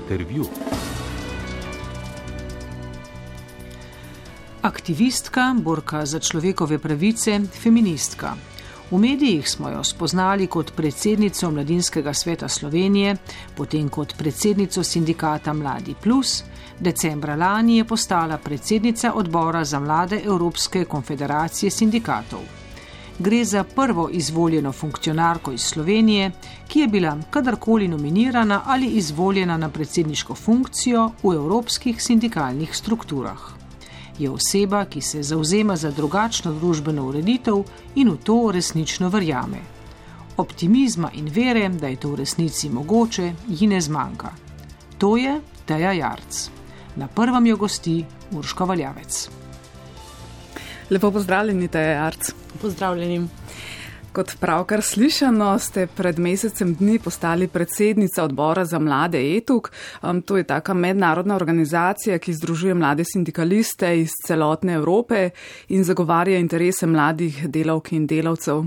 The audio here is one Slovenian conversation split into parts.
Intervju. Aktivistka, borka za človekove pravice, feministka. V medijih smo jo spoznali kot predsednico Mladinskega sveta Slovenije, potem kot predsednico sindikata Mladi Plus, decembra lani je postala predsednica odbora za mlade Evropske konfederacije sindikatov. Gre za prvo izvoljeno funkcionarko iz Slovenije, ki je bila kadarkoli nominirana ali izvoljena na predsedniško funkcijo v evropskih sindikalnih strukturah. Je oseba, ki se zavzema za drugačno družbeno ureditev in v to resnično verjame. Optimizma in vere, da je to v resnici mogoče, ji ne zmanjka. To je Teja Jarc. Na prvem jo gosti Urška Valjavec. Lepo pozdravljeni, Teja Jarc. Pozdravljeni. Kot pravkar slišano, ste pred mesecem dni postali predsednica odbora za mlade ETUK. To je taka mednarodna organizacija, ki združuje mlade sindikaliste iz celotne Evrope in zagovarja interese mladih delavk in delavcev.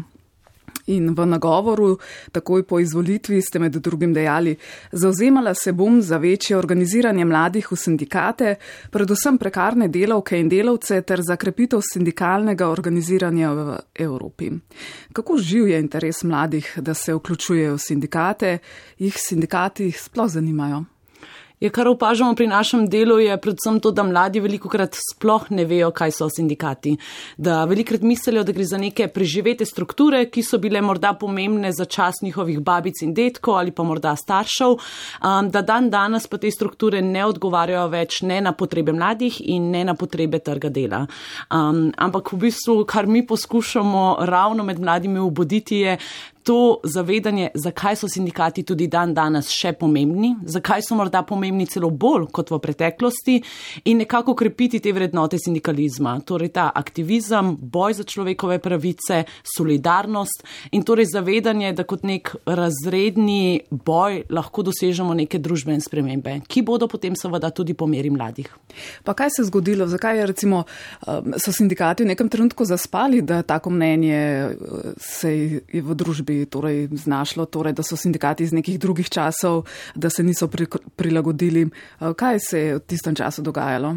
In v nagovoru, takoj po izvolitvi, ste med drugim dejali: zavzemala se bom za večje organiziranje mladih v sindikate, predvsem prekarne delavke in delavce ter za krepitev sindikalnega organiziranja v Evropi. Kako živ je interes mladih, da se vključujejo v sindikate, jih sindikati sploh zanimajo? Kar opažamo pri našem delu, je predvsem to, da mladi velikokrat sploh ne vejo, kaj so sindikati. Da velikokrat mislijo, da gre za neke preživete strukture, ki so bile morda pomembne za čas njihovih babic in detkov ali pa morda staršev, da dan danes pa te strukture ne odgovarjajo več ne na potrebe mladih in ne na potrebe trga dela. Ampak v bistvu, kar mi poskušamo ravno med mladimi obuditi, je to zavedanje, zakaj so sindikati tudi dan danes še pomembni, zakaj so morda pomembni celo bolj kot v preteklosti in nekako krepiti te vrednote sindikalizma. Torej ta aktivizem, boj za človekove pravice, solidarnost in torej zavedanje, da kot nek razredni boj lahko dosežemo neke družbene spremembe, ki bodo potem seveda tudi po meri mladih. Pa kaj se je zgodilo? Zakaj je recimo so sindikati v nekem trenutku zaspali, da tako mnenje se je v družbi torej znašlo, torej, da so sindikati iz nekih drugih časov, da se niso prilagodili. Kaj se je v tistem času dogajalo?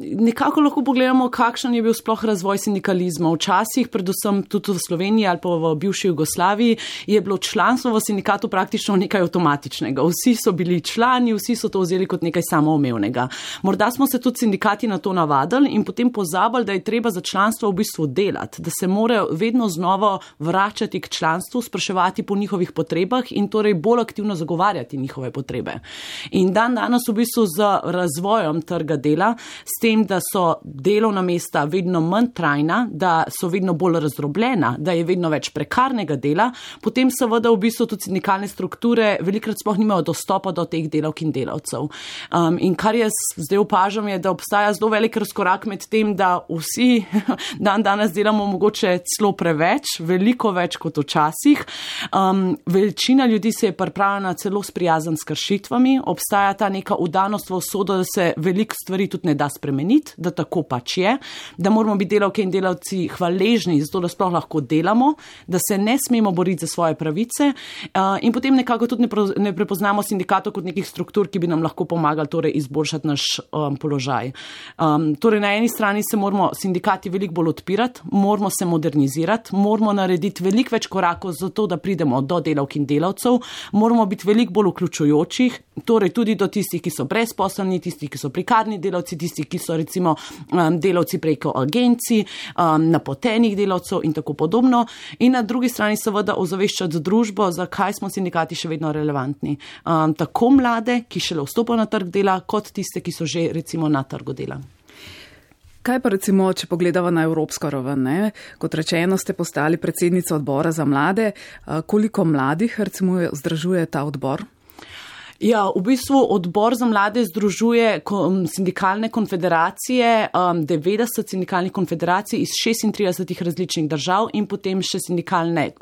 Nekako lahko pogledamo, kakšen je bil sploh razvoj sindikalizma. Včasih, predvsem tudi v Sloveniji ali pa v bivši Jugoslaviji, je bilo članstvo v sindikatu praktično nekaj avtomatičnega. Vsi so bili člani, vsi so to vzeli kot nekaj samoumevnega. Morda smo se tudi sindikati na to navadili in potem pozabili, da je treba za članstvo v bistvu delati, da se morajo vedno znova vračati k članstvu, spraševati po njihovih potrebah in torej bolj aktivno zagovarjati njihove potrebe. In dan danes v bistvu z razvojem trga dela, s tem, da so delovna mesta vedno manj trajna, da so vedno bolj razdrobljena, da je vedno več prekarnega dela, potem seveda v bistvu tudi sindikalne strukture velikokrat sploh nimajo dostopa do teh delavk in delavcev. In kar jaz zdaj opažam, je, da obstaja zelo velik razkorak med tem, da vsi dan danes delamo mogoče celo preveč, veliko več kot včasih. Večina ljudi se je pripravljena celo sprijazniti s kršitvami, obstaja ta neka vdanost v usodo, da se veliko stvari tudi ne da spremeniti, da tako pač je, da moramo biti delavke in delavci hvaležni zato, da sploh lahko delamo, da se ne smemo boriti za svoje pravice in potem nekako tudi ne prepoznamo sindikatov kot nekih struktur, ki bi nam lahko pomagali torej izboljšati naš položaj. Torej na eni strani se moramo sindikati veliko bolj odpirati, moramo se modernizirati, moramo narediti veliko več korakov za to, da pridemo do delavk in delavcev, moramo biti veliko bolj vključujočih, torej tudi do tistih, ki so brezposelni, tistih, ki so prekarni delavci, tistih, ki so recimo delavci preko agencij, napotenih delavcev in tako podobno. In na drugi strani seveda ozaveščati družbo, zakaj smo sindikati še vedno relevantni. Tako mlade, ki šele vstopajo na trg dela, kot tiste, ki so že recimo na trgu dela. Kaj pa recimo, če pogledamo na evropsko raven, ne? Kot rečeno, ste postali predsednica odbora za mlade. Koliko mladih recimo združuje ta odbor? Ja, v bistvu odbor za mlade združuje sindikalne konfederacije, 90 sindikalnih konfederacij iz 36 različnih držav in potem še sindikalne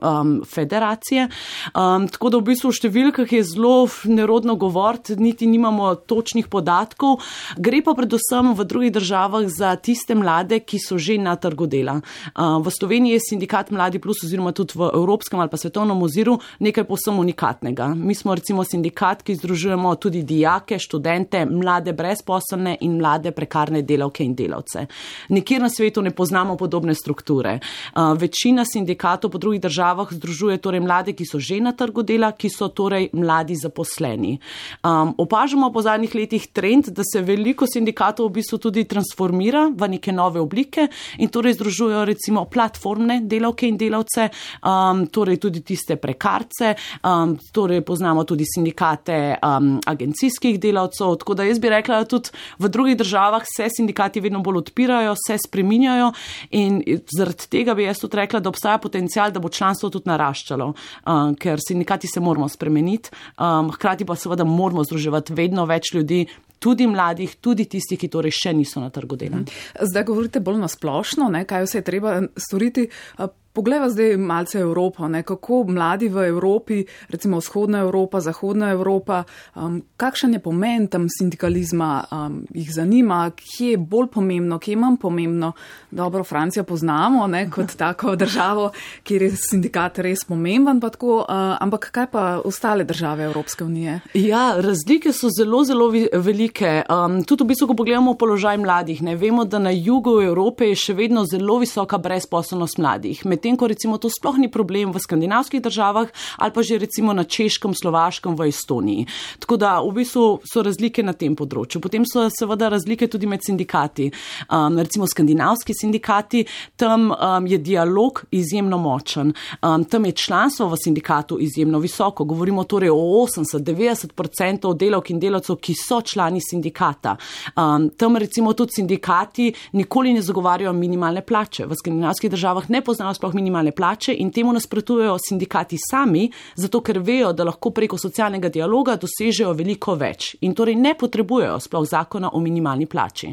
federacije. Tako da v bistvu v številkah je zelo nerodno govoriti, niti nimamo točnih podatkov. Gre pa predvsem v drugih državah za tiste mlade, ki so že na trgu dela. V Sloveniji je sindikat Mladi Plus oziroma tudi v evropskem ali pa svetovnem oziru nekaj povsem unikatnega. Mi smo recimo sindikat, ki združujemo tudi dijake, študente, mlade brezposelne in mlade prekarne delavke in delavce. Nikjer na svetu ne poznamo podobne strukture. Večina sindikatov po drugih državah združuje torej mlade, ki so že na trgu dela, ki so torej mladi zaposleni. Opažamo po zadnjih letih trend, da se veliko sindikatov v bistvu tudi transformira v neke nove oblike in torej združujejo recimo platformne delavke in delavce, torej tudi tiste prekarce, torej poznamo tudi sindikate agencijskih delavcev, tako da jaz bi rekla, da tudi v drugih državah se sindikati vedno bolj odpirajo, se spreminjajo in zaradi tega bi jaz tudi rekla, da obstaja potencial, da bo članstvo tudi naraščalo, ker sindikati se moramo spremeniti, hkrati pa seveda moramo združevati vedno več ljudi, tudi mladih, tudi tistih, ki torej še niso na trgu dela. Zdaj govorite bolj na splošno, kaj vse je treba storiti. Poglejva zdaj malce Evropo, kako mladi v Evropi, recimo vzhodna Evropa, zahodna Evropa, kakšen je pomen tam sindikalizma, jih zanima, kje je bolj pomembno, kje je manj pomembno. Dobro, Francijo poznamo kot tako državo, kjer je sindikat res pomemben, pa tako, ampak kaj pa ostale države Evropske unije? Ja, razlike so zelo, zelo velike. Tudi v bistvu, ko pogledamo položaj mladih, vemo, da na jugu Evrope je še vedno zelo visoka brezposelnost mladih. Medtem ko recimo to sploh ni problem v skandinavskih državah ali pa že recimo na Češkem, Slovaškem, v Estoniji. Tako da v bistvu so razlike na tem področju. Potem so seveda razlike tudi med sindikati. Recimo skandinavski sindikati, tam je dialog izjemno močen. Tam je članstvo v sindikatu izjemno visoko. Govorimo torej o 80-90% delavk in delavcev, ki so člani sindikata. Tam recimo tudi sindikati nikoli ne zagovarjajo minimalne plače. V skandinavskih državah ne poznajo sploh minimalne plače in temu nasprotujejo sindikati sami, zato ker vejo, da lahko preko socialnega dialoga dosežejo veliko več in torej ne potrebujejo sploh zakona o minimalni plači.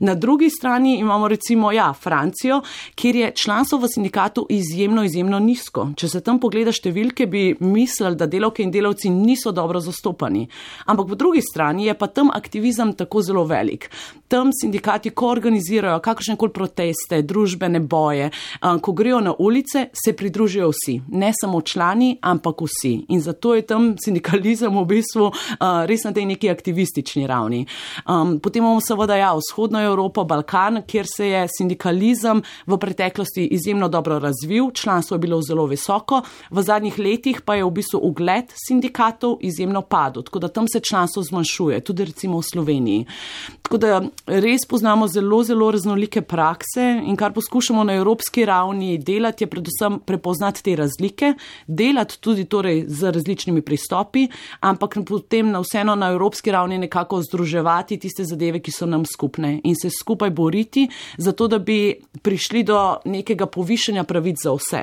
Na drugi strani imamo recimo Francijo, kjer je članstvo v sindikatu izjemno nizko. Če se tam pogleda številke, bi mislili, da delavke in delavci niso dobro zastopani. Ampak po drugi strani je pa tam aktivizem tako zelo velik. Tam sindikati, ko organizirajo kakršnekoli proteste, družbene boje, ko grejo na ulice, se pridružijo vsi. Ne samo člani, ampak vsi. In zato je tam sindikalizem v bistvu res na tej neki aktivistični ravni. Potem imamo seveda vzhodno Evropo, Balkan, kjer se je sindikalizem v preteklosti izjemno dobro razvil, članstvo je bilo zelo visoko, v zadnjih letih pa je v bistvu ugled sindikatov izjemno padel, tako da tam se članstvo zmanjšuje, tudi recimo v Sloveniji. Tako da res poznamo zelo raznolike prakse in kar poskušamo na evropski ravni delati, je predvsem prepoznati te razlike, delati tudi torej z različnimi pristopi, ampak potem vseeno na evropski ravni nekako združevati tiste zadeve, ki so nam skupne in se skupaj boriti, zato da bi prišli do nekega povišanja pravic za vse.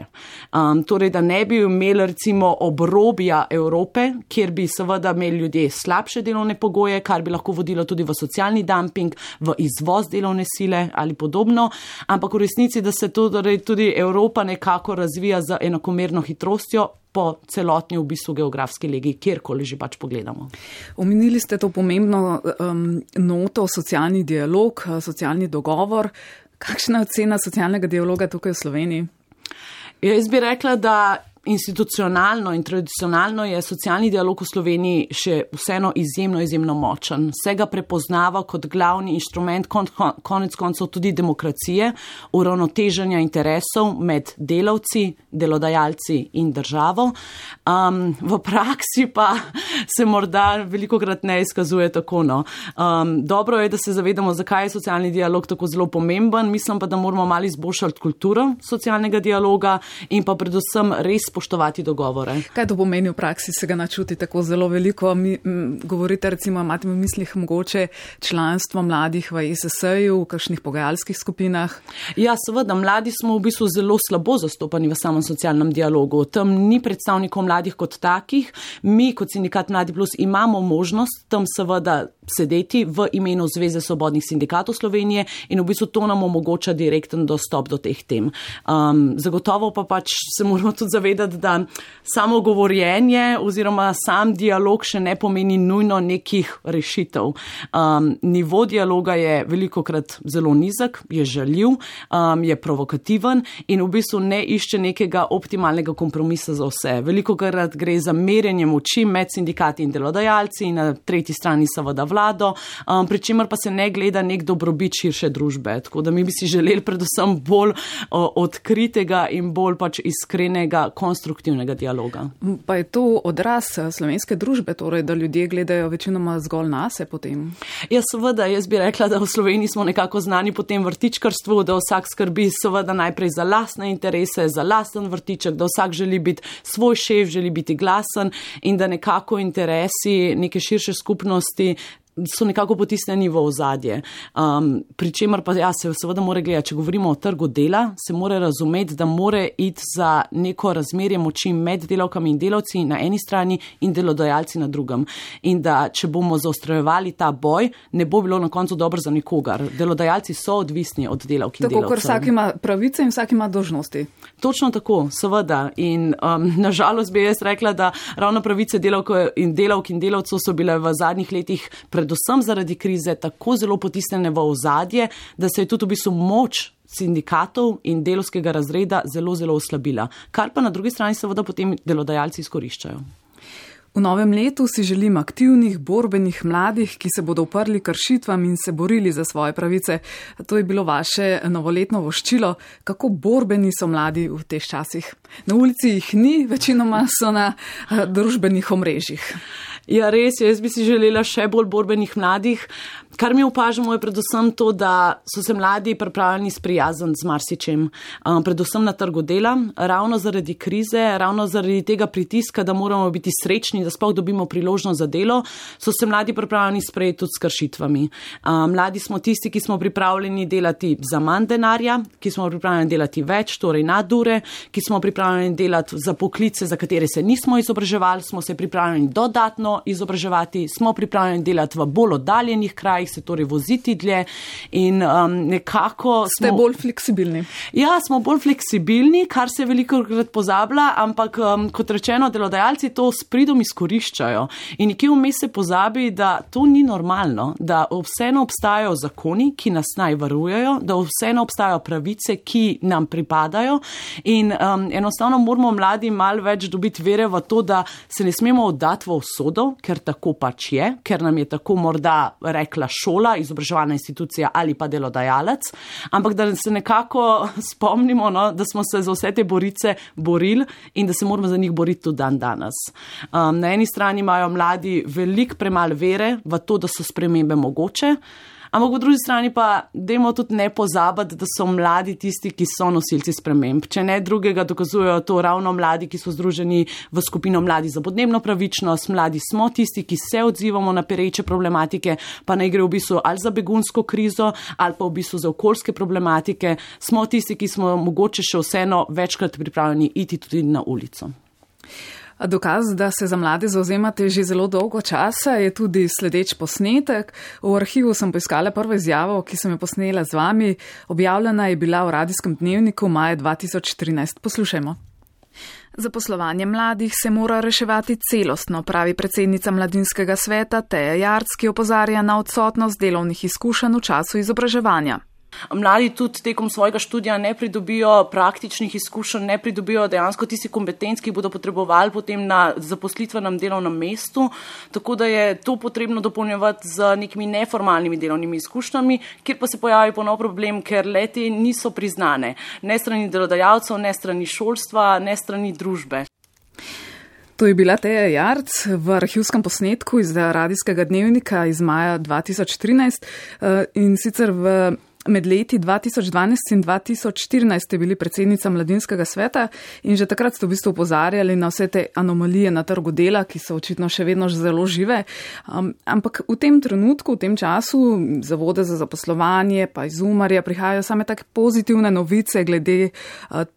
Torej, da ne bi imeli recimo obrobja Evrope, kjer bi seveda imeli ljudje slabše delovne pogoje, kar bi lahko vodilo tudi v socialni dumping, v izvoz delovne sile ali podobno, ampak v resnici, da se tudi Evropa nekako razvija z enakomerno hitrostjo po celotni v bistvu geografski legi, kjerkoli že pač pogledamo. Omenili ste to pomembno noto, socialni dialog, socialni dogovor. Kakšna je ocena socialnega dialoga tukaj v Sloveniji? Jaz bi rekla, da institucionalno in tradicionalno je socialni dialog v Sloveniji še vseeno izjemno močen. Se ga prepoznava kot glavni inštrument konec koncev tudi demokracije, uravnoteženja interesov med delavci, delodajalci in državo. V praksi pa se morda velikokrat ne izkazuje tako. Dobro je, da se zavedamo, zakaj je socialni dialog tako zelo pomemben. Mislim pa, da moramo malo izboljšati kulturo socialnega dialoga in pa predvsem res spoštovati dogovore. Kaj to pomeni v praksi, se ga načuti tako zelo veliko? Govorite recimo, imate v mislih mogoče članstvo mladih v ESS-ju, v kakšnih pogajalskih skupinah? Ja, seveda, mladi smo v bistvu zelo slabo zastopani v samem socialnem dialogu. Tam ni predstavnikov mladih kot takih. Mi kot sindikat Mladi Plus imamo možnost tam seveda sedeti v imenu Zveze svobodnih sindikatov Slovenije in v bistvu to nam omogoča direkten dostop do teh tem. Zagotovo pa pač se moramo tudi zavedati, da samo govorjenje oziroma sam dialog še ne pomeni nujno nekih rešitev. Nivo dialoga je velikokrat zelo nizek, je žaljiv, je provokativen in v bistvu ne išče nekega optimalnega kompromisa za vse. Velikokrat gre za merjenje moči med sindikati in delodajalci in na tretji strani seveda vlado, pri čemer pa se ne gleda nek dobrobit širše družbe. Tako da mi bi si želeli predvsem bolj odkritega in bolj pač iskrenega, konstruktivnega dialoga. Pa je to odraz slovenske družbe, torej, da ljudje gledajo večinoma zgolj nase potem? Ja, seveda, jaz bi rekla, da v Sloveniji smo nekako znani po tem vrtičkarstvu, da vsak skrbi seveda najprej za lastne interese, za lasten vrtiček, da vsak želi biti svoj šef, želi biti glasen in da nekako interesi neke širše skupnosti so nekako potisnjeni v ozadje. Pri čemer pa se seveda mora gledati, če govorimo o trgu dela, se mora razumeti, da mora iti za neko razmerje moči med delavkami in delavci na eni strani in delodajalci na drugem. In da, če bomo zaostrojevali ta boj, ne bo bilo na koncu dobro za nikogar. Delodajalci so odvisni od delavk in delavcev. Tako, ker vsak ima pravice in vsak ima dolžnosti. Točno tako, seveda. In nažalost bi jaz rekla, da ravno pravice delavk in delavcev so bile v zadnjih letih predvsem zaradi krize tako zelo potisnjene v ozadje, da se je tudi v bistvu moč sindikatov in delovskega razreda zelo, zelo oslabila. Kar pa na drugi strani seveda potem delodajalci izkoriščajo. V novem letu si želim aktivnih, borbenih mladih, ki se bodo uprli kršitvam in se borili za svoje pravice. To je bilo vaše novoletno voščilo. Kako borbeni so mladi v teh časih? Na ulici jih ni, večinoma so na družbenih omrežjih. Ja, res, jaz bi si želela še bolj borbenih mladih. Kar mi opažamo je predvsem to, da so se mladi pripravljeni sprijazniti z marsičem, predvsem na trgu dela, ravno zaradi krize, ravno zaradi tega pritiska, da moramo biti srečni, da sploh dobimo priložnost za delo, so se mladi pripravljeni sprejeti tudi s kršitvami. Mladi smo tisti, ki smo pripravljeni delati za manj denarja, ki smo pripravljeni delati več, torej nadure, ki smo pripravljeni delati za poklice, za katere se nismo izobraževali, smo se pripravljeni dodatno izobraževati, smo pripravljeni delati v bolj oddaljenih krajih, se torej voziti dlje in nekako Ste bolj fleksibilni. Ja, smo bolj fleksibilni, kar se velikokrat pozablja, ampak kot rečeno, delodajalci to s pridom izkoriščajo. In nekje vmes se pozabi, da to ni normalno, da vseeno obstajajo zakoni, ki nas naj varujejo, da vseeno obstajajo pravice, ki nam pripadajo in enostavno moramo mladi malo več dobiti vere v to, da se ne smemo oddati v usodo, ker tako pač je, ker nam je tako morda rekla šola, izobraževalna institucija ali pa delodajalec, ampak da se nekako spomnimo, no, da smo se za vse te borice borili in da se moramo za njih boriti tudi dan danes. Na eni strani imajo mladi veliko premalo vere v to, da so spremembe mogoče, ampak po drugi strani pa dajmo tudi ne pozabiti, da so mladi tisti, ki so nosilci sprememb. Če ne drugega dokazujejo to ravno mladi, ki so združeni v skupino Mladi za podnebno pravičnost. Mladi smo tisti, ki se odzivamo na pereče problematike, pa naj gre v bistvu ali za begunsko krizo ali pa v bistvu za okoljske problematike. Smo tisti, ki smo mogoče še vseeno večkrat pripravljeni iti tudi na ulico. Dokaz, da se za mlade zauzemate že zelo dolgo časa, je tudi sledeč posnetek. V arhivu sem poiskala prvo izjavo, ki sem jo posnela z vami. Objavljena je bila v Radijskem dnevniku maja 2013. Poslušajmo. Zaposlovanje mladih se mora reševati celostno, pravi predsednica Mladinskega sveta Teja Jarc, ki opozarja na odsotnost delovnih izkušenj v času izobraževanja. Mladi tudi tekom svojega študija ne pridobijo praktičnih izkušenj, ne pridobijo dejansko tisti kompetenc, ki bodo potrebovali potem na zaposlitvenem delovnem mestu, tako da je to potrebno dopolnjevati z nekimi neformalnimi delovnimi izkušnjami, kjer pa se pojavi ponov problem, ker leti niso priznane, ne strani delodajalcev, ne strani šolstva, ne strani družbe. To je bila Teja Jarc v arhivskem posnetku iz Radijskega dnevnika iz maja 2013 in sicer v Med leti 2012 in 2014 ste bili predsednica Mladinskega sveta in že takrat ste v bistvu opozarjali na vse te anomalije na trgu dela, ki so očitno še vedno zelo žive. Ampak v tem trenutku, v tem času, zavode za zaposlovanje pa iz Umarja prihajajo same take pozitivne novice glede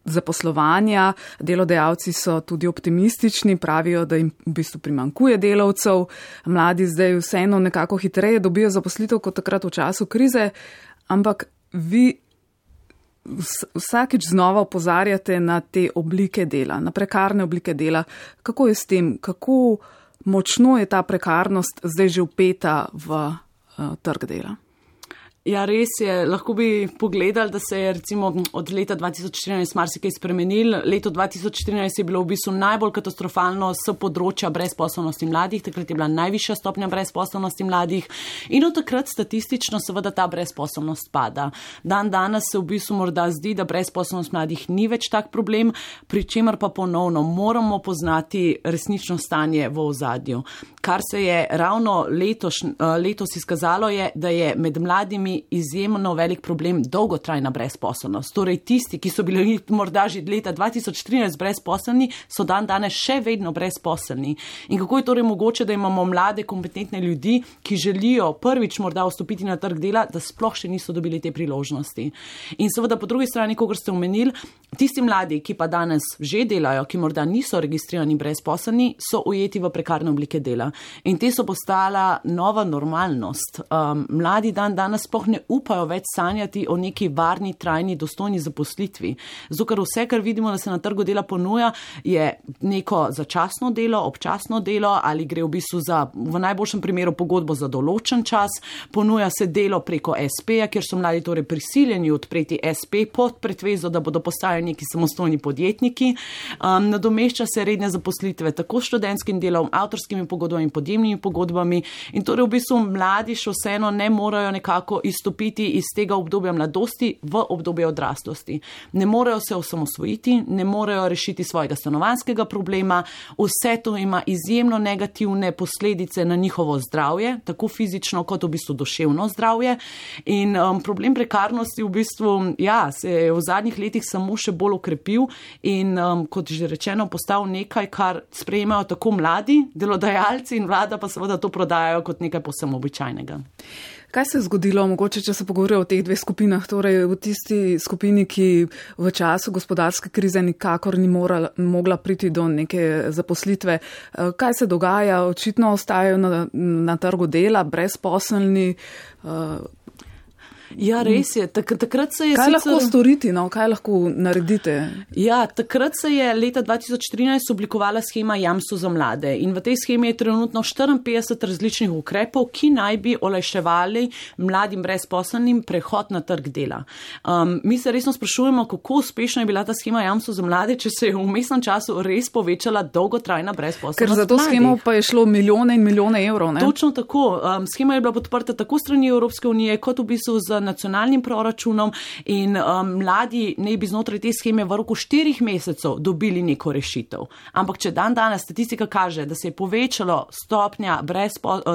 zaposlovanja. Delodajalci so tudi optimistični, pravijo, da jim v bistvu primanjkuje delavcev. Mladi zdaj vseeno nekako hitreje dobijo zaposlitev kot takrat v času krize. Ampak vi vsakič znova opozarjate na te oblike dela, na prekarne oblike dela. Kako je s tem? Kako močno je ta prekarnost zdaj že vpeta v trg dela? Ja, res je. Lahko bi pogledali, da se je recimo od leta 2014 marsikaj spremenil. Leto 2014 je bilo v bistvu najbolj katastrofalno s področja brezposelnosti mladih. Takrat je bila najvišja stopnja brezposelnosti mladih in od takrat statistično seveda ta brezposelnost pada. Danes se v bistvu morda zdi, da brezposelnost mladih ni več tak problem, pri čemer pa ponovno moramo poznati resnično stanje v ozadju. Kar se je ravno letos izkazalo je, da je med mladimi izjemno velik problem dolgotrajna brezposelnost. Torej tisti, ki so bili morda že leta 2013 brezposelni, so danes še vedno brezposelni. In kako je torej mogoče, da imamo mlade, kompetentne ljudi, ki želijo prvič morda vstopiti na trg dela, da sploh še niso dobili te priložnosti. In seveda po drugi strani, kot ste omenili, tisti mladi, ki pa danes že delajo, ki morda niso registrirani brezposelni, so ujeti v prekarne oblike dela. In te so postala nova normalnost. Mladi danes sploh ne upajo več sanjati o neki varni, trajni, dostojni zaposlitvi. Zato, ker vse, kar vidimo, da se na trgu dela ponuja, je neko začasno delo, občasno delo ali gre v bistvu za, v najboljšem primeru, pogodbo za določen čas. Ponuja se delo preko SP-ja, kjer so mladi torej prisiljeni odpreti SP pod pretvezo, da bodo postali neki samostojni podjetniki. Nadomešča se redne zaposlitve tako s študentskim delom, avtorskimi pogodbami, podjemnimi pogodbami in torej v bistvu mladi še vseeno ne morejo nekako izstopiti iz tega obdobja mladosti v obdobje odraslosti. Ne morejo se osamosvojiti, ne morejo rešiti svojega stanovanjskega problema, vse to ima izjemno negativne posledice na njihovo zdravje, tako fizično kot v bistvu duševno zdravje. In problem prekarnosti v bistvu, se je v zadnjih letih samo še bolj okrepil in kot že rečeno postal nekaj, kar sprejemajo tako mladi, delodajalci in vlada pa seveda to prodajajo kot nekaj povsem običajnega. Kaj se je zgodilo, mogoče, če se pogovorijo o teh dveh skupinah, torej v tisti skupini, ki v času gospodarske krize nikakor ni mogla priti do neke zaposlitve? Kaj se dogaja? Očitno ostajajo na trgu dela, brezposelni. Ja, res je. Takrat se je kaj lahko storiti, kaj lahko naredite? Ja, takrat se je leta 2013 oblikovala schema jamstvo za mlade in v tej schemi je trenutno 54 različnih ukrepov, ki naj bi olajševali mladim brezposelnim prehod na trg dela. Mi se resno sprašujemo, kako uspešna je bila ta schema jamstvo za mlade, če se je v vmesnem času res povečala dolgotrajna brezposelnost mladih. Ker za to schemo pa je šlo milijone in milijone evrov, ne? Točno tako. Schema je bila podprta tako strani Evropske unije, kot v bistvu z nacionalnim proračunom in mladi naj bi znotraj te scheme v roku 4 mesecev dobili neko rešitev. Ampak če danes statistika kaže, da se je povečalo stopnja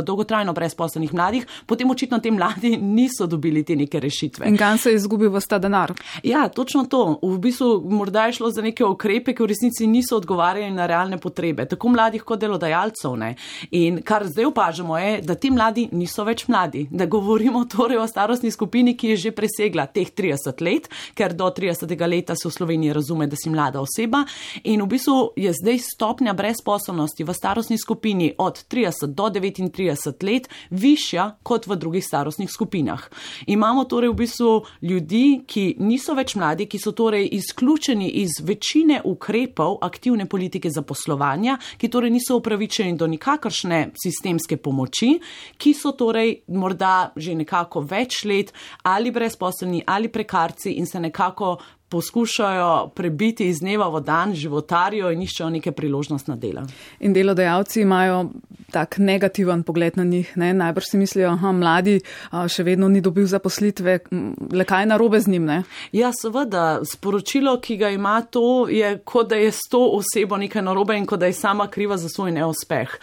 dolgotrajno brezposelnih mladih, potem očitno te mladi niso dobili te neke rešitve. In kam se je izgubil vas ta denar? Ja, točno to. V bistvu morda je šlo za neke ukrepe, ki v resnici niso odgovarjali na realne potrebe, tako mladih kot delodajalcev, ne. In kar zdaj opažamo je, da ti mladi niso več mladi, da govorimo torej o starostni skupini, ki je že presegla teh 30 let, ker do 30. leta se v Sloveniji razume, da si mlada oseba in v bistvu je zdaj stopnja brezposelnosti v starostni skupini od 30 do 39 let višja kot v drugih starostnih skupinah. Imamo torej v bistvu ljudi, ki niso več mladi, ki so torej izključeni iz večine ukrepov aktivne politike zaposlovanja, ki torej niso upravičeni do nikakršne sistemske pomoči, ki so torej morda že nekako več let ali brezposelni ali prekarci in se nekako poskušajo prebiti iz dneva v dan, životarijo in iščejo neke priložnostna dela. In delodajalci imajo tak negativen pogled na njih, ne? Najbrž si mislijo, mladi še vedno ni dobil zaposlitve, le kaj narobe z njim, ne? Ja, seveda, sporočilo, ki ga ima to, je kot da je s to osebo nekaj narobe in kot da je sama kriva za svoj neuspeh.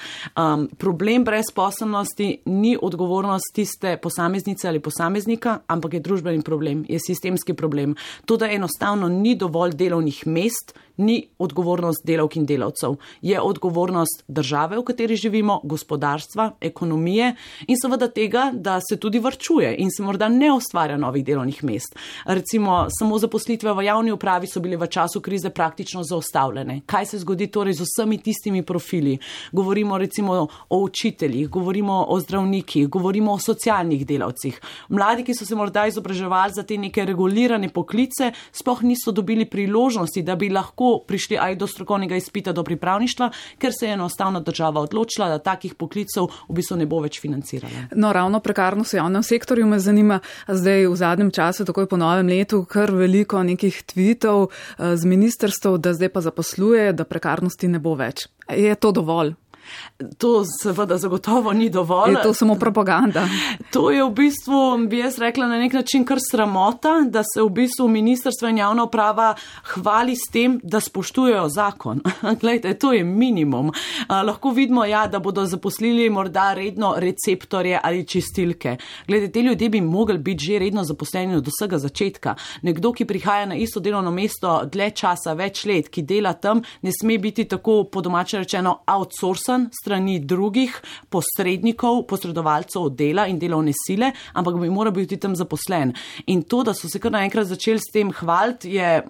Problem brezposelnosti ni odgovornost tiste posameznice ali posameznika, ampak je družbeni problem, je sistemski problem. To, da enostavno ni dovolj delovnih mest, ni odgovornost delavk in delavcev. Je odgovornost države, v kateri živimo, gospodarstva, ekonomije in seveda tega, da se tudi varčuje in se morda ne ustvarja novih delovnih mest. Recimo, samo zaposlitve v javni upravi so bile v času krize praktično zaustavljene. Kaj se zgodi torej z vsemi tistimi profili? Govorimo recimo o učiteljih, govorimo o zdravnikih, govorimo o socialnih delavcih. Mladi, ki so se morda izobraževali za te neke regulirane poklice, sploh niso dobili priložnosti, da bi lahko prišli aj do strokovnega izpita, do pripravništva, ker se je enostavno država odločila, da takih poklicov v bistvu ne bo več financirala. No, ravno prekarnost v javnem sektorju me zanima, zdaj v zadnjem času, takoj po novem letu, kar veliko nekih tweetov z ministrstv, da zdaj pa zaposluje, da prekarnosti ne bo več. Je to dovolj? To seveda zagotovo ni dovolj. Je to samo propaganda? To je v bistvu, bi jaz rekla, na nek način kar sramota, da se v bistvu ministrstvo in javna uprava hvali s tem, da spoštujejo zakon. Glejte, to je minimum. Lahko vidimo, ja, da bodo zaposlili morda redno receptorje ali čistilke. Glejte, te ljudje bi mogli biti že redno zaposleni od vsega začetka. Nekdo, ki prihaja na isto delovno mesto dlje časa, več let, ki dela tam, ne sme biti tako po domače rečeno outsourcan strani drugih posrednikov, posredovalcev dela in delovne sile, ampak bi moral biti tam zaposlen. In to, da so se kar naenkrat začeli s tem hvaliti, je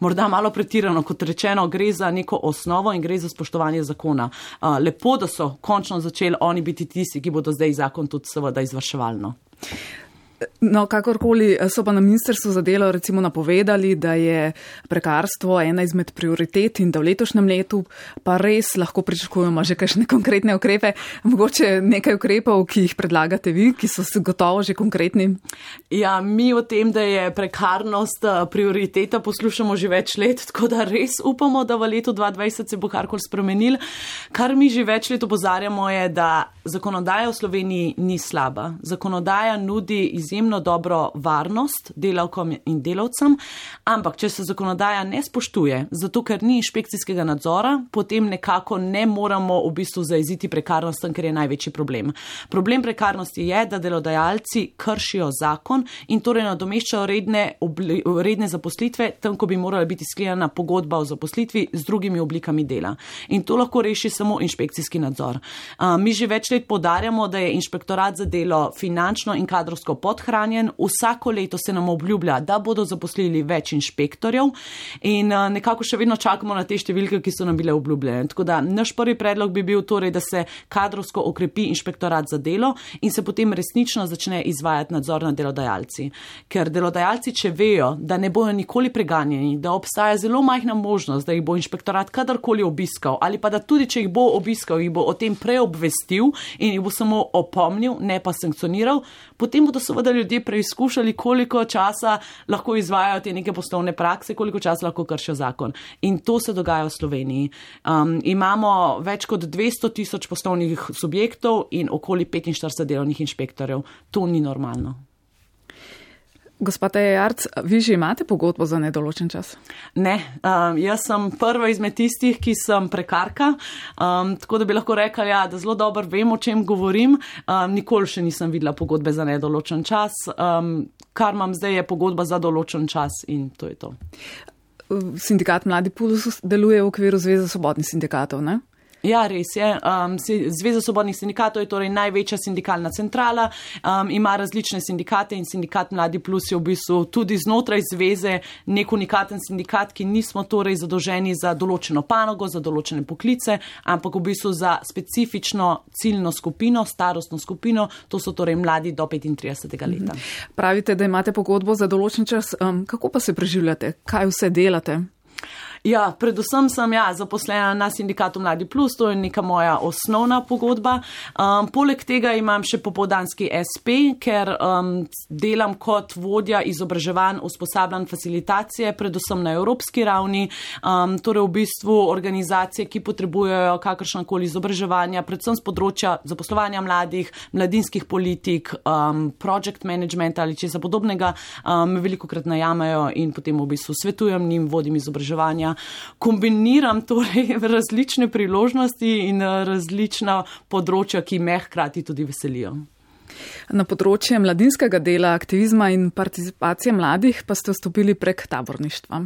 morda malo pretirano, kot rečeno, gre za neko osnovo in gre za spoštovanje zakona. Lepo, da so končno začeli oni biti tisti, ki bodo zdaj zakon tudi seveda izvrševalno. No, kakorkoli so pa na ministrstvu za delo recimo napovedali, da je prekarstvo ena izmed prioritet in da v letošnjem letu pa res lahko pričakujemo že kakšne konkretne ukrepe. Mogoče nekaj ukrepov, ki jih predlagate vi, ki so gotovo že konkretni? Ja, mi o tem, da je prekarnost prioriteta, poslušamo že več let, tako da res upamo, da v letu 2020 se bo karkoli spremenil. Kar mi že več let opozarjamo je, da zakonodaja v Sloveniji ni slaba. Zakonodaja nudi izjemno dobro varnost delavkom in delavcem, ampak če se zakonodaja ne spoštuje, zato ker ni inšpekcijskega nadzora, potem nekako ne moramo v bistvu zaeziti prekarnostem, ker je največji problem. Problem prekarnosti je, da delodajalci kršijo zakon in torej nadomeščajo redne zaposlitve, tam, ko bi morala biti sklenjena pogodba o zaposlitvi z drugimi oblikami dela. In to lahko reši samo inšpekcijski nadzor. Mi že več let poudarjamo, da je inšpektorat za delo finančno in kadrovsko podhranjen. Vsako leto se nam obljublja, da bodo zaposlili več inšpektorjev in nekako še vedno čakamo na te številke, ki so nam bile obljubljene. Tako da naš prvi predlog bi bil torej, da se kadrovsko okrepi inšpektorat za delo in se potem resnično začne izvajati nadzor nad delodajalci. Ker delodajalci, če vejo, da ne bojo nikoli preganjeni, da obstaja zelo majhna možnost, da jih bo inšpektorat kadarkoli obiskal ali pa da tudi, če jih bo obiskal, jih bo o tem preobvestil in jih bo samo opomnil, ne pa sankcioniral, potem bodo seveda ljudje preizkušali, koliko časa lahko izvajajo te neke poslovne prakse, koliko časa lahko kršijo zakon. In to se dogaja v Sloveniji. Imamo več kot 200 000 poslovnih subjektov in okoli 45 delovnih inšpektorjev. To ni normalno. Gospa Teja Jarc, vi že imate pogodbo za nedoločen čas? Ne, jaz sem prva izmed tistih, ki sem prekarka, tako da bi lahko rekla, ja, da zelo dobro vem, o čem govorim. Nikoli še nisem videla pogodbe za nedoločen čas. Kar imam zdaj je pogodba za določen čas in to je to. Sindikat Mladi Pulus deluje v okviru Zveze svobodnih sindikatov, ne? Ja, res je. Zveza svobodnih sindikatov je torej največja sindikalna centrala, ima različne sindikate in sindikat Mladi Plus je v bistvu tudi znotraj zveze nek unikaten sindikat, ki nismo torej zadolženi za določeno panogo, za določene poklice, ampak v bistvu za specifično ciljno skupino, starostno skupino, to so torej mladi do 35. leta. Pravite, da imate pogodbo za določen čas. Kako pa se preživljate? Kaj vse delate? Ja, predvsem sem zaposlena na sindikatu Mladi Plus, to je neka moja osnovna pogodba. Poleg tega imam še popoldanski SP, ker delam kot vodja izobraževanj, usposabljanj, facilitacije, predvsem na evropski ravni, torej v bistvu organizacije, ki potrebujejo kakršnakoli izobraževanja, predvsem z področja zaposlovanja mladih, mladinskih politik, project management ali česa podobnega, me velikokrat najamejo in potem v bistvu svetujem njim, vodim izobraževanja, kombiniram torej različne priložnosti in različna področja, ki me hkrati tudi veselijo. Na področje mladinskega dela, aktivizma in participacije mladih pa ste vstopili prek taborništva.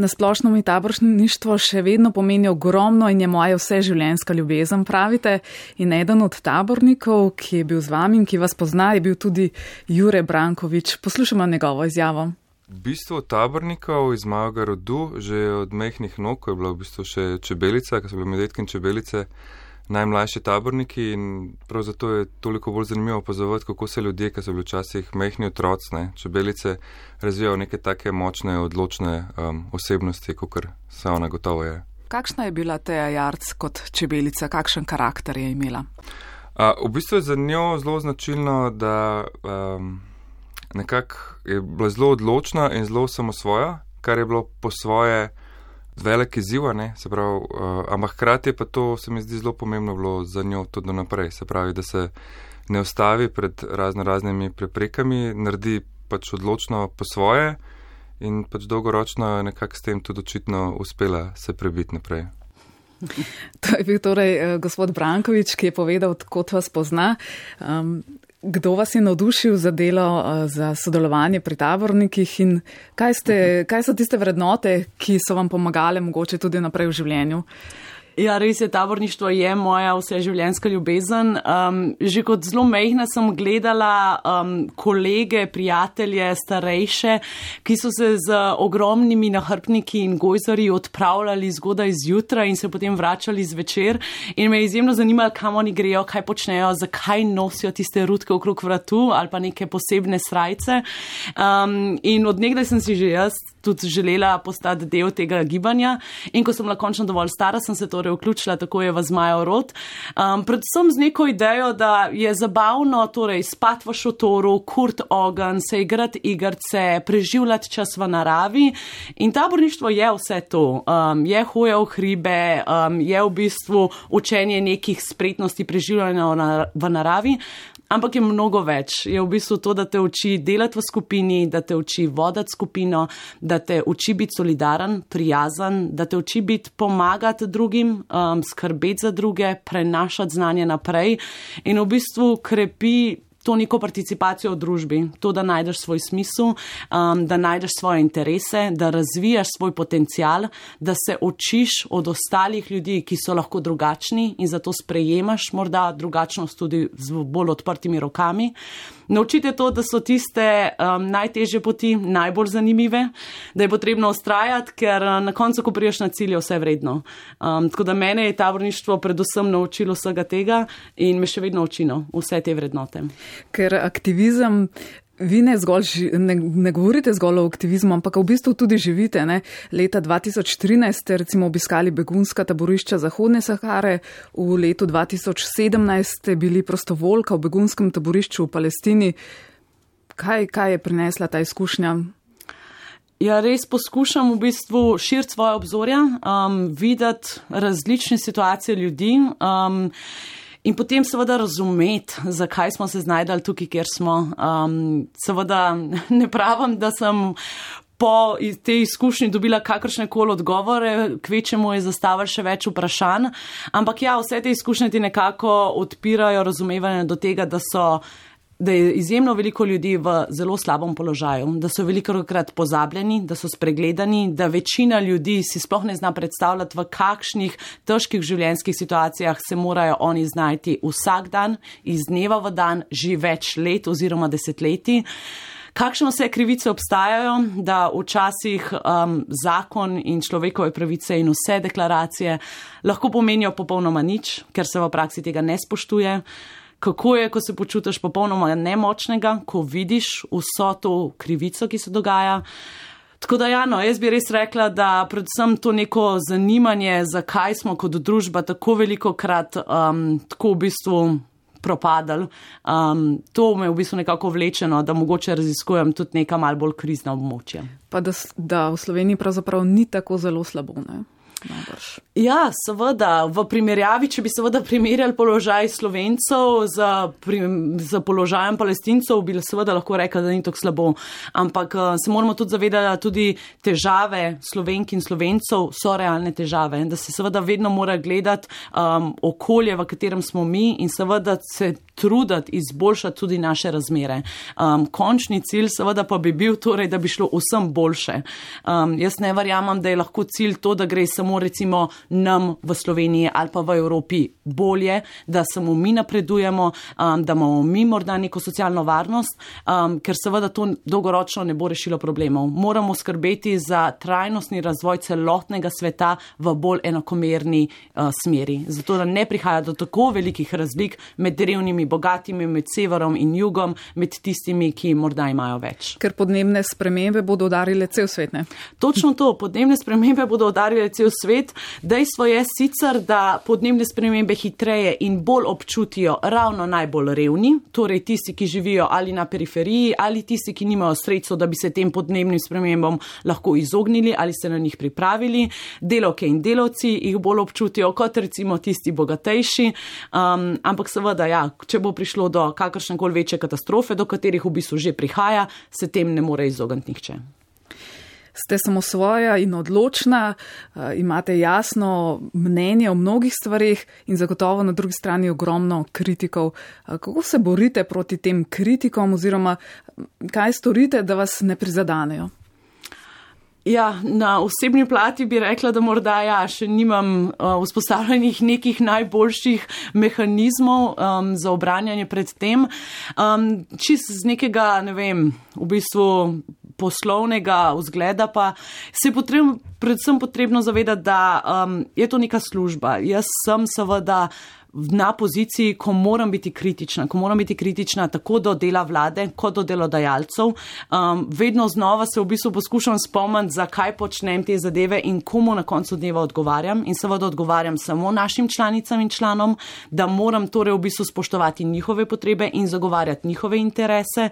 Na splošno mi taborništvo še vedno pomeni ogromno in je moja vseživljenjska ljubezen, pravite. In eden od tabornikov, ki je bil z vami in ki vas pozna, je bil tudi Jure Brankovič. Poslušamo njegovo izjavo. V bistvu tabornikov iz mojega rodu, že od mehkih nog, ko je bila v bistvu še čebelica, ko so bile medvedke in čebelice, najmlajši taborniki in prav zato je toliko bolj zanimivo opazovati, kako se ljudje, ki so bili včasih mehni otroci, čebelice, razvijajo neke take močne, odločne osebnosti, kakor se ona gotovo je. Kakšna je bila Teja Jarc kot čebelica, kakšen karakter je imela? V bistvu je za njo zelo značilno, da nekako je bila zelo odločna in zelo samosvoja, kar je bilo po svoje velik izziv, se pravi, ampak hkrati pa to se mi zdi zelo pomembno bilo za njo tudi naprej, se pravi, da se ne ustavi pred raznimi preprekami, naredi pač odločno po svoje in pač dolgoročno nekako s tem tudi očitno uspela se prebiti naprej. To je bil torej gospod Brankovič, ki je povedal, kot vas pozna. Kdo vas je navdušil za delo, za sodelovanje pri tabornikih in kaj so tiste vrednote, ki so vam pomagale mogoče tudi naprej v življenju? Ja, res je, taborništvo je moja vseživljenjska ljubezen. Že kot zelo majhna sem gledala kolege, prijatelje, starejše, ki so se z ogromnimi nahrbtniki in gojzarji odpravljali zgodaj zjutraj in se potem vračali zvečer. In me je izjemno zanimalo, kam oni grejo, kaj počnejo, zakaj nosijo tiste rutke okrog vratu ali pa neke posebne srajce. In od nekdaj sem si že jaz tudi želela postati del tega gibanja. In ko sem bila končno dovolj stara, sem se torej vključila, tako je v Zmajev rod. Predvsem z neko idejo, da je zabavno torej spati v šotoru, kurt ogenj, se igrati igrice, preživljati čas v naravi. In taborništvo je vse to. Je hoja v hribe, je v bistvu učenje nekih spretnosti preživljanja v naravi. Ampak je mnogo več. Je v bistvu to, da te uči delati v skupini, da te uči voditi skupino, da te uči biti solidaren, prijazen, da te uči biti pomagati drugim, skrbeti za druge, prenašati znanje naprej in v bistvu krepi to neko participacijo v družbi, to, da najdeš svoj smisel, da najdeš svoje interese, da razvijaš svoj potencial, da se učiš od ostalih ljudi, ki so lahko drugačni in zato sprejemaš morda drugačnost tudi z bolj odprtimi rokami. Naučite to, da so tiste najtežje poti najbolj zanimive, da je potrebno ustrajati, ker na koncu, ko priješ na cilj, je vse vredno. Tako da mene je taborništvo predvsem naučilo vsega tega in me še vedno učino vse te vrednote. Ker aktivizem, vi ne govorite zgolj o aktivizmu, ampak v bistvu tudi živite. Ne? Leta 2013 ste recimo obiskali begunska taborišča Zahodne Sahare, v letu 2017 ste bili prostovoljka v begunskem taborišču v Palestini. Kaj je prinesla ta izkušnja? Ja, res poskušam v bistvu širiti svoje obzorja, videti različne situacije ljudi, in potem seveda razumeti, zakaj smo se znajdali tukaj, kjer smo. Seveda ne pravim, da sem po tej izkušnji dobila kakršnekoli odgovore, kvečemu je zastavili še več vprašanj, ampak ja, vse te izkušnje ti nekako odpirajo razumevanje do tega, da je izjemno veliko ljudi v zelo slabem položaju, da so velikokrat pozabljeni, da so spregledani, da večina ljudi si sploh ne zna predstavljati, v kakšnih težkih življenjskih situacijah se morajo oni znajti vsak dan, iz dneva v dan, že več let oziroma desetletij. Kakšne vse krivice obstajajo, da včasih zakon in človekove pravice in vse deklaracije lahko pomenijo popolnoma nič, ker se v praksi tega ne spoštuje. Kako je, ko se počutiš popolnoma nemočnega, ko vidiš vso to krivico, ki se dogaja. Tako da jaz bi res rekla, da predvsem to neko zanimanje, zakaj smo kot družba tako velikokrat tako v bistvu propadali, to me v bistvu nekako vlečeno, da mogoče raziskujem tudi neka malo bolj krizna območja. Pa da v Sloveniji pravzaprav ni tako zelo slabo, ne? Najbrž. Ja, seveda, v primerjavi, če bi seveda primerjali položaj Slovencev z položajem Palestincev, bi seveda lahko rekla, da ni tako slabo. Ampak se moramo tudi zavedati, da tudi težave Slovenk in Slovencev so realne težave. Da se seveda vedno mora gledati okolje, v katerem smo mi in seveda se truditi izboljšati tudi naše razmere. Končni cilj seveda pa bi bil torej, da bi šlo vsem boljše. Jaz ne verjamem, da je lahko cilj to, da gre samo recimo nam v Sloveniji ali pa v Evropi bolje, da samo mi napredujemo, da imamo mi morda neko socialno varnost, ker seveda to dolgoročno ne bo rešilo problemov. Moramo skrbeti za trajnostni razvoj celotnega sveta v bolj enakomerni smeri. Zato, da ne prihaja do tako velikih razlik med revnimi, bogatimi, med severom in jugom, med tistimi, ki morda imajo več. Ker podnebne spremembe bodo udarile cel svet, ne? Točno to, podnebne spremembe bodo udarile cel svet. Dejstvo je sicer, da podnebne spremembe hitreje in bolj občutijo ravno najbolj revni, torej tisti, ki živijo ali na periferiji, ali tisti, ki nimajo sredstev, da bi se tem podnebnim spremembam lahko izognili ali se na njih pripravili. Delavke in delavci jih bolj občutijo kot recimo tisti bogatejši, ampak seveda, če bo prišlo do kakršnekoli večje katastrofe, do katerih v bistvu že prihaja, se tem ne more izogniti nihče. Ste samosvoja in odločna, imate jasno mnenje o mnogih stvarih in zagotovo na drugi strani ogromno kritikov. Kako se borite proti tem kritikom oziroma kaj storite, da vas ne prizadanejo? Ja, na osebni plati bi rekla, da morda še nimam vzpostavljenih nekih najboljših mehanizmov za obranjanje pred tem. Čist z nekega, v bistvu poslovnega vzgleda pa se je predvsem potrebno zavedati, da je to neka služba. Jaz sem seveda na poziciji, ko moram biti kritična tako do dela vlade, kot do delodajalcev. Vedno znova se v bistvu poskušam spomniti, zakaj počnem te zadeve in komu na koncu dneva odgovarjam. In seveda odgovarjam samo našim članicam in članom, da moram torej v bistvu spoštovati njihove potrebe in zagovarjati njihove interese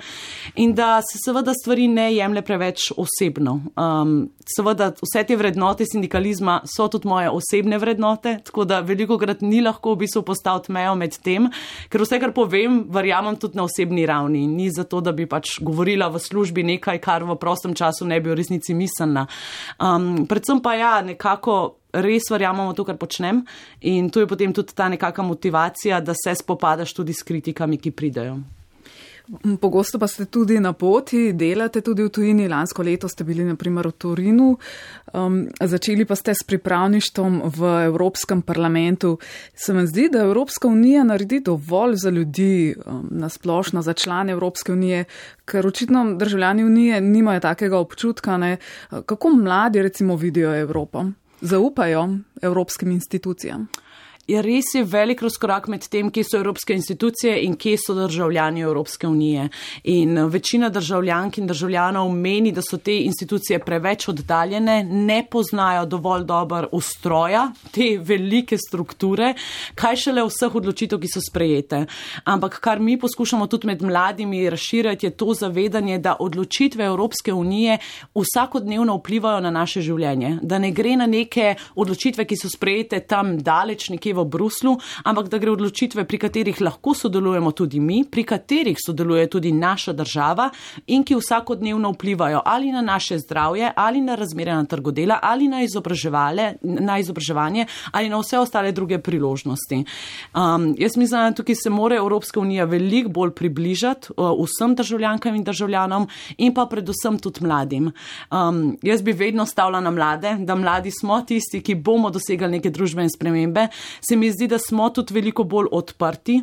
in da se seveda stvari ne jemlje preveč osebno. Seveda vse te vrednote sindikalizma so tudi moje osebne vrednote, tako da velikokrat ni lahko v bistvu postaviti mejo med tem, ker vse, kar povem, verjamem tudi na osebni ravni. Ni zato, da bi pač govorila v službi nekaj, kar v prostem času ne bi v resnici mislila. Predvsem pa nekako res verjamemo to, kar počnem in to je potem tudi ta nekaka motivacija, da se spopadaš tudi s kritikami, ki pridejo. Pogosto pa ste tudi na poti, delate tudi v tujini. Lansko leto ste bili na primer v Torinu, začeli pa ste s pripravništvom v Evropskem parlamentu. Se vam zdi, da Evropska unija naredi dovolj za ljudi, nasplošno za člane Evropske unije, ker očitno državljani unije nimajo takega občutka, ne? Kako mladi recimo vidijo Evropo? Zaupajo evropskim institucijam? Res je velik razkorak med tem, kje so evropske institucije in kje so državljani Evropske unije. In večina državljank in državljanov meni, da so te institucije preveč oddaljene, ne poznajo dovolj dobro ustroja, te velike strukture, kaj šele vseh odločitev, ki so sprejete. Ampak kar mi poskušamo tudi med mladimi razširjati, je to zavedanje, da odločitve Evropske unije vsakodnevno vplivajo na naše življenje. Da ne gre na neke odločitve, ki so sprejete tam daleč nekje v Bruslu, ampak da gre odločitve, pri katerih lahko sodelujemo tudi mi, pri katerih sodeluje tudi naša država in ki vsakodnevno vplivajo ali na naše zdravje, ali na razmere na trgu dela, ali na izobraževanje, ali na vse ostale druge priložnosti. Jaz mislim, da tukaj se mora Evropska unija veliko bolj približati vsem državljankam in državljanom in pa predvsem tudi mladim. Jaz bi vedno stavila na mlade, da mladi smo tisti, ki bomo dosegali neke družbene spremembe. Se mi zdi, da smo tudi veliko bolj odprti.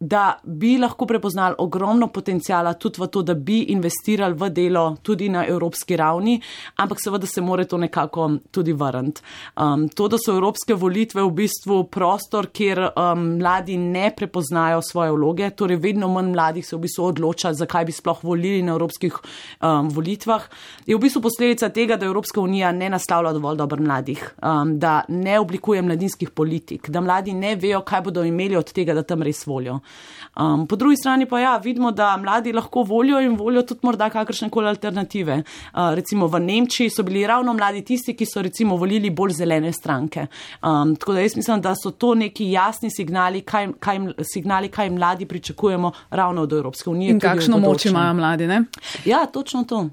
da bi lahko prepoznali ogromno potencijala tudi v to, da bi investirali v delo tudi na evropski ravni, ampak seveda se more to nekako tudi vrniti. To, da so evropske volitve v bistvu prostor, kjer mladi ne prepoznajo svoje vloge, torej vedno manj mladih se v bistvu odloča, zakaj bi sploh volili na evropskih volitvah, je v bistvu posledica tega, da Evropska unija ne naslavlja dovolj dobro mladih, da ne oblikuje mladinskih politik, da mladi ne vejo, kaj bodo imeli od tega, da tam res volijo. Po drugi strani pa vidimo, da mladi lahko volijo in volijo tudi morda kakršnekoli alternative. Recimo v Nemčiji so bili ravno mladi tisti, ki so recimo volili bolj zelene stranke. Tako da jaz mislim, da so to neki jasni signali, kaj mladi pričakujemo ravno od Evropske unije. In kakšno moč imajo mladi, ne? Ja, točno to.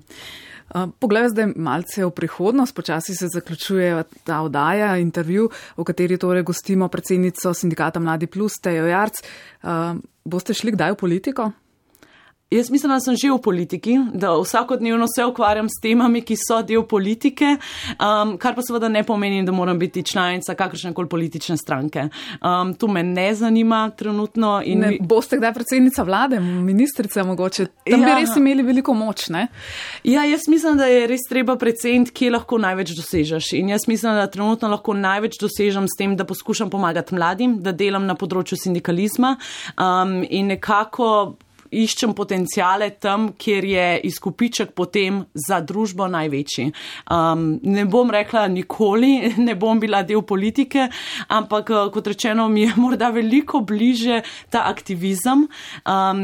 Poglej zdaj malce v prihodnost, počasi se zaključuje ta oddaja, intervju, v kateri torej gostimo predsednico sindikata Mladi Plus, Tejo Jarc. Boste šli kdaj v politiko? Jaz mislim, da sem že v politiki, da vsakodnevno se ukvarjam s temami, ki so del politike, kar pa seveda ne pomeni, da moram biti članica kakršnekoli politične stranke. To me ne zanima trenutno. Boste kdaj predsednica vlade, ministrica mogoče? Tam bi res imeli veliko moč, ne? Ja, jaz mislim, da je res treba preceniti, kje lahko največ dosežeš. In jaz mislim, da trenutno lahko največ dosežem s tem, da poskušam pomagati mladim, da delam na področju sindikalizma in nekako iščem potencijale tam, kjer je izkupiček potem za družbo največji. Ne bom rekla nikoli, ne bom bila del politike, ampak kot rečeno mi je morda veliko bliže ta aktivizem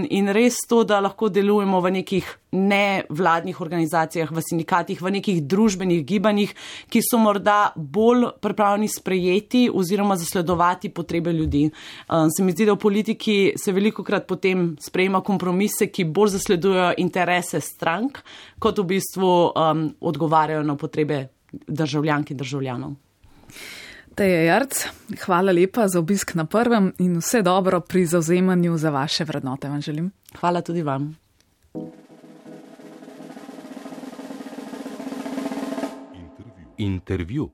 in res to, da lahko delujemo v nekih nevladnih organizacijah, v sindikatih, v nekih družbenih gibanjih, ki so morda bolj pripravljeni sprejeti oziroma zasledovati potrebe ljudi. Se mi zdi, da v politiki se velikokrat potem sprejema kompromise, ki bolj zasledujejo interese strank, kot v bistvu odgovarjajo na potrebe državljank in državljanov. Teja Jarc, hvala lepa za obisk na Prvem in vse dobro pri zavzemanju za vaše vrednote vam želim. Hvala tudi vam. Intervju.